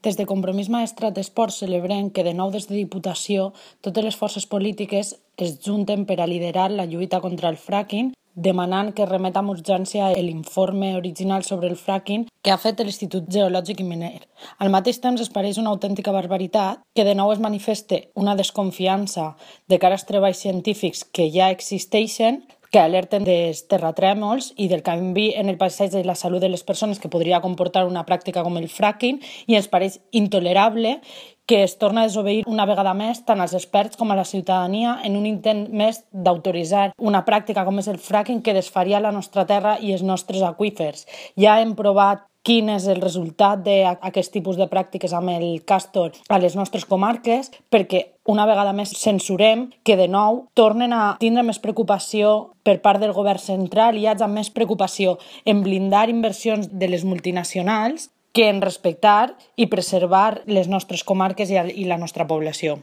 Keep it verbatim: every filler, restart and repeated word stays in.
Des de Compromís Maestrat Esports celebrem que de nou des de Diputació totes les forces polítiques es junten per a liderar la lluita contra el fracking, demanant que remet amb urgència l'informe original sobre el fracking que ha fet l'Institut Geològic i Miner. Al mateix temps es pareix una autèntica barbaritat que de nou es manifeste una desconfiança de cara als treballs científics que ja existeixen, que alerten dels terratrèmols i del canvi en el paisatge i la salut de les persones que podria comportar una pràctica com el fracking, i ens pareix intolerable que es torna a desobeir una vegada més tant als experts com a la ciutadania en un intent més d'autoritzar una pràctica com és el fracking que desfaria la nostra terra i els nostres aqüífers. Ja hem provat quin és el resultat d'aquest tipus de pràctiques amb el Castor a les nostres comarques, perquè una vegada més censurem que de nou tornen a tindre més preocupació per part del govern central i hi hagi més preocupació en blindar inversions de les multinacionals que en respectar i preservar les nostres comarques i la nostra població.